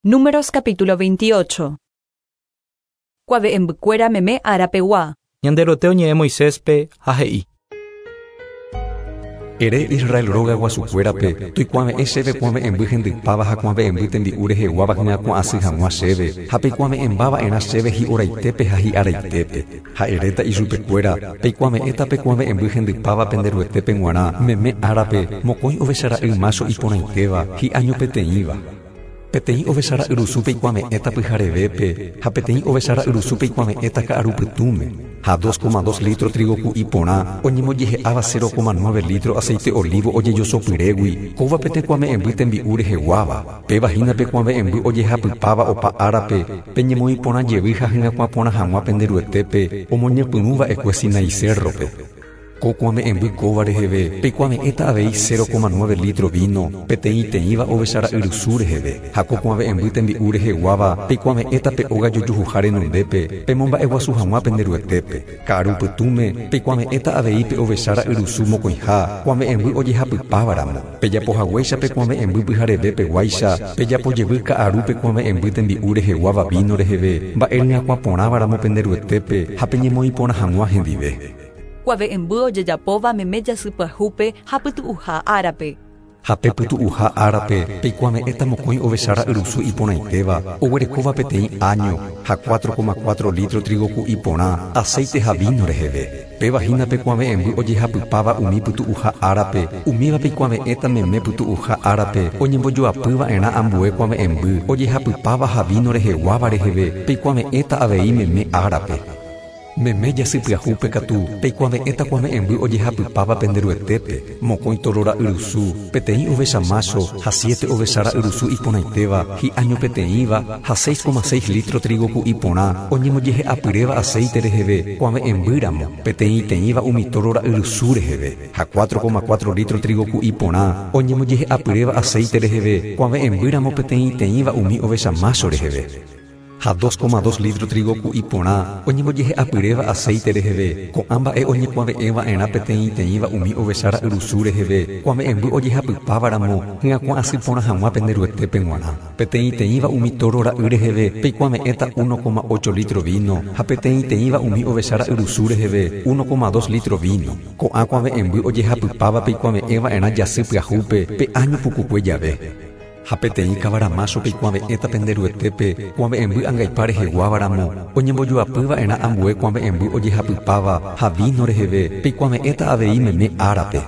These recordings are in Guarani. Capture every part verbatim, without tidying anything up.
Números capítulo veintiocho. Kuave'ẽmbykuéra meme árapegua. Ñanderuete oñe'ẽ Moiséspe ha he'i. Ere Israel róga guasukuérape, toikuave'ẽ chéve kuave'ẽmby hendypáva ha kuave'ẽmby tembi'u reheguáva hyakuã asy hag̃ua chéve, ha peikuave'ẽmbava'erã chéve hi'oraitépe ha hi'araitépe. Ha eréta ichupekuéra, peikuave'ẽta pe kuave'ẽmby hendypáva pende Ruetépe g̃uarã, meme árape, mokõi ovechara'y mácho iporãitéva, hi'año peteĩva. Peteĩ ovechara'yrusu peikuave'ẽta pyharevépe, ha peteĩ ovechara'yrusu peikuave'ẽta ka'arupytũme, ha dos coma dos litro trigo ku'i porã, oñembojehe'áva cero coma nueve litro aceite olivo ojejosopyrégui, kóva peteĩ kuave'ẽmby tembi'u reheguáva, péva hína pe kuave'ẽmby ojehapypáva opa árape, peñemoĩ porã jevy ha hyakuã porã hag̃ua pende Ruetépe, omoñepyrũva'ekue Sinai cerrope. Ko kuave'ẽmby kóva reheve, peikuave'ẽta avei cero coma nueve litro vino, peteĩteĩva ovechara'yrusu reheve, ha ko kuave'ẽmby tembi'u reheguáva, peikuave'ẽta pe óga jojuhuha renondépe, pemomba'eguasu hag̃ua pende Ruetépe. Ka'arupytũme, peikuave'ẽta avei pe ovechara'yrusu mokõiha, kuave'ẽmby ojehapypávaramo. Pejapohaguéicha pe kuave'ẽmby pyharevépeguáicha, pejapojevy ka'arúpe kuave'ẽmby tembi'u reheguáva vino reheve, mba'e ryakuã porãvaramo pende Ruetépe, ha peñemoĩ porã hag̃ua hendive. Kuave'ẽmby ojejapóva meme jasypyahúpe ha pytu'uha árape. Ha pe pytu'uha árape peikuave'ẽta mokõi ovechara'yrusu iporãitéva, oguerekóva peteĩ año ha cuatro coma cuatro litro trigo ku'i porã, aceite ha vino reheve. Péva hína pe kuave'ẽmby ojehapypáva umi pytu'uha árape, umíva peikuave'ẽta meme pytu'uha árape, oñembojoapyva'erã ambue kuave'ẽmby ojehapypáva ha vino reheguáva reheve, peikuave'ẽta avei meme árape. Meme jasypyahúpe katu, peikuave'ẽta kuave'ẽmby ojehapypáva pende Ruetépe, mokõi torora'yrusu, peteĩ ovecha mácho ha siete ovechara'yrusu iporãitéva, hi'año peteĩva ha seis coma seis litro trigo ku'i porã, oñembojehe'apyréva aceite reheve, kuave'ẽmbýramo, peteĩteĩva umi torora'yrusu reheve, ha cuatro coma cuatro litro trigo ku'i porã, oñembojehe'apyréva aceite reheve, kuave'ẽmbýramo peteĩteĩva umi ovecha mácho reheve. Ha dos coma dos litro trigo ku'i porã, oñembojehe'apyréva aceite reheve, ko'ã mba'e oñekuave'ẽva'erã peteĩteĩva umi ovechara'yrusu reheve, kuave'ẽmby ojehapypávaramo, hyakuã asy porã hag̃ua pende Ruetépe g̃uarã. Peteĩteĩva umi toro ra'y reheve, peikuave'ẽta uno coma ocho litro vino, ha peteĩteĩva umi ovechara'yrusu reheve, uno coma dos litro vino. Ko'ã kuave'ẽmby ojehapypáva peikuave'ẽva'erã jasy pyahúpe, pe año pukukue jave. Ha peteĩ kavaramácho peikuave'ẽta pende Ruetépe, kuave'ẽmby angaipa reheguávaramo, oñembojoapyva'erã ambue kuave'ẽmby ojehapypáva ha vino reheve, peikuave'ẽta avei meme árape.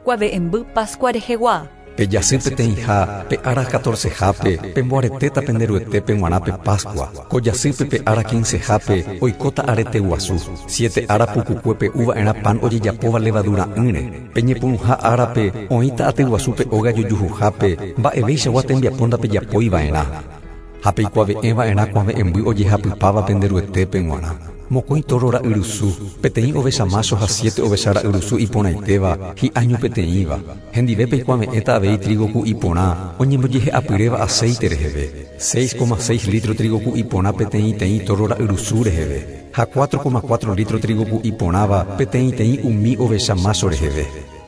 Kuave'ẽmby Pascua rehegua. Pe jasy peteĩha, pe ára catorcehápe, pemboaretéta pende Ruetépe g̃uarã pe Pascua. Ko jasýpe pe ára quincehápe, oikóta arete guasu. Siete ára pukukue pe'uva'erã pan ojejapóva levadura'ỹre. Peñepyrũha árape, oĩta aty guasu pe óga jojuhuhápe, mba'evéichagua tembiapo ndapejapóiva'erã. Ha peikuave'ẽva'erã kuave'ẽmby ojehapypáva pende Ruetépe g̃uarã. Mokõi toro ra'yrusu, peteĩ ovecha mácho ha siete ovechara'yrusu iporãitéva, hi'año peteĩva. Hendive peikuave'ẽta avei trigo ku'i porã, oñembojehe'apyréva aceite reheve. seis coma seis litro trigo ku'i porã peteĩteĩ toro ra'yrusu reheve, ha cuatro coma cuatro litro trigo ku'i porãva peteĩteĩ umi ovecha mácho reheve.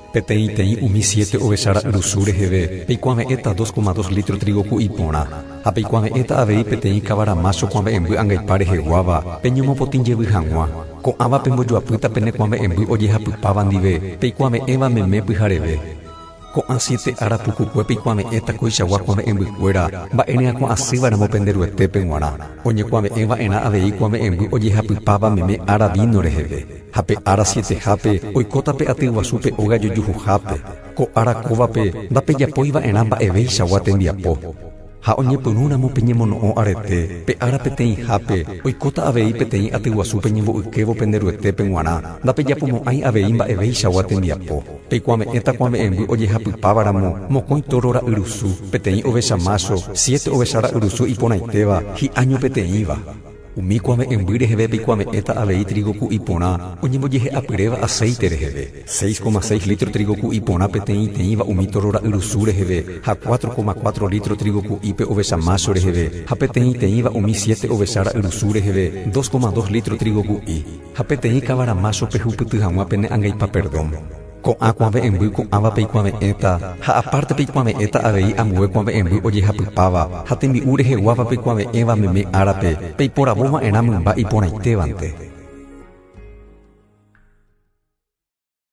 Peteĩteĩ umi siete ovechara'yrusu reheve, peikuave'ẽta dos coma dos litro trigo ku'i porã, ha peikuave'ẽta avei peteĩ kavaramácho kuave'ẽmby angaipa reheguáva, peñomopotĩ jevy hag̃ua. Ko'ãva pembojoapýta pene kuave'ẽmby ojehapypáva ndive, peikuave'ẽva meme pyhareve. Ko'ã siete ára pukukue peikuave'ẽta koichagua kuave'ẽmbykuéra, mba'e ryakuã asývaramo pende Ruetépe g̃uarã. Oñekuave'ẽva'erã avei kuave'ẽmby ojehapypáva meme ára vino reheve. Ha pe ára sietehápe, oikóta pe aty guasu pe óga jojuhuhápe. Ko ára kóvape ndapejapóiva'erã mba'evéichagua tembiapo. Ha oñepyrũramo peñemono'õ arete, pe ára peteĩhápe, oikóta avei peteĩ aty guasu peñembo'ykévo pende Ruetépe g̃uarã, ndapejapomo'ãi avei mba'evéichagua tembiapo. Peikuave'ẽta kuave'ẽmby ojehapypávaramo, mokõi toro ra'yrusu, peteĩ ovecha mácho, siete ovechara'yrusu iporãitéva, hi'año peteĩva. Umi kuave'ẽmby reheve peikuave'ẽta avei trigo ku'i porã, oñembojehe'apyréva aceite reheve. seis coma seis litro trigo ku'i porã peteĩteĩva umi toro ra'yrusu reheve, ha cuatro coma cuatro litro trigo ku'ípe ovecha mácho reheve, ha peteĩteĩva umi siete ovechara'yrusu reheve, dos coma dos litro trigo ku'i, ha peteĩ kavaramácho pehupyty hag̃ua pene angaipa perdón. Ko'ã kuave'ẽmby ko'ãva peikuave'ẽta ha aparte peikuave'ẽta avei ambue kuave'ẽmby ojehapypáva ha tembi'u reheguáva peikuave'ẽva meme árape peiporavova'erã mymba iporãitévante.